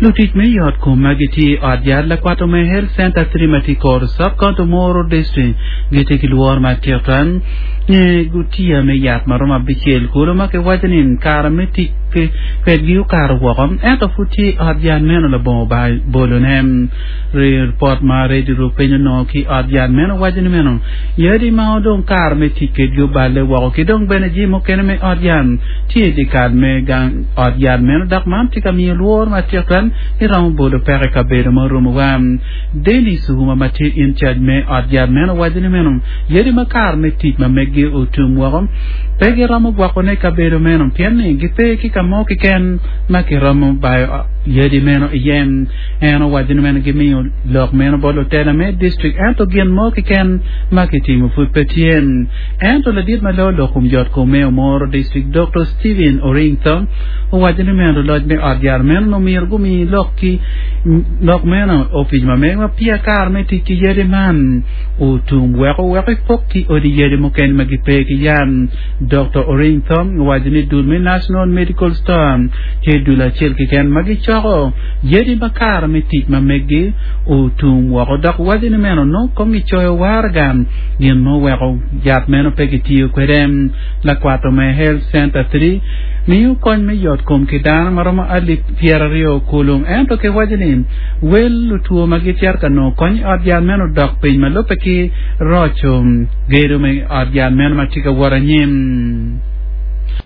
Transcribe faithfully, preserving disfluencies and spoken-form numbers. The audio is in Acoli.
Lutic me yot kom ma gitye i ot yat Lakwato me Health Center three ma tye i kor Sub-County Omoro District gitye ki lworo matek twal nge gutiya me yat ma romo abicel kulu ma kiwaco ni kare me tic kwedgi okato woko ento pud tye i ot yat meno labongo bolone. Ripot ma Radio Rupiny onongo ki i ot yat meno waco ni meno yadi ma odong kare me tic kwedgi oballe woko ki dong bene jami mukene me ot yat tye i dyekal me gang ot yat meno dok man tye ka miyo lworo matek twal ni romo bolo peko i kabedo ma orumowa. Dennis Ouma ma tye in charge me ot yat meno owaco ni meno yadi ma kare me tic ma meggi otum woko pe giromo gwokone i kabedo meno pien ni gipe ki ka mo keken ma kiromo bayo yadi meno iye. En owaco ni meno gimiyo lok meno bot lutela me distrik ento gin mo keken ma kitimo pud pe tye. Ento ladit ma loyo lok kom yot kom me Omoro District Doktor Stephen Oringtho owaco ni meno luloc me ot yat meno omyero gumi lok ki lok meno opic ma megwa peya kare me tic ki yadi man otum wek owek epok ki odi yadi mukene ma gipe ki yat. Doktor Oringtho owaco ni dul me National Medical Store tye dul acel keken ma gicoko yadi ma kare me tic ma meggi otum woko dok waco ni meno nongo kong gicoyo waraga gin ma oweko yat meno pe gitiyo kwede. Lakwato me Health Center three miyo kony me yot kom ki dano ma romo alip pyeraryo kulu ento kiwaco ni wel lutwo ma gicito ka nongo kony i ot yat meno odok piny ma lubbe ki roco gedo me ot yat meno ma tye ka wot anyim.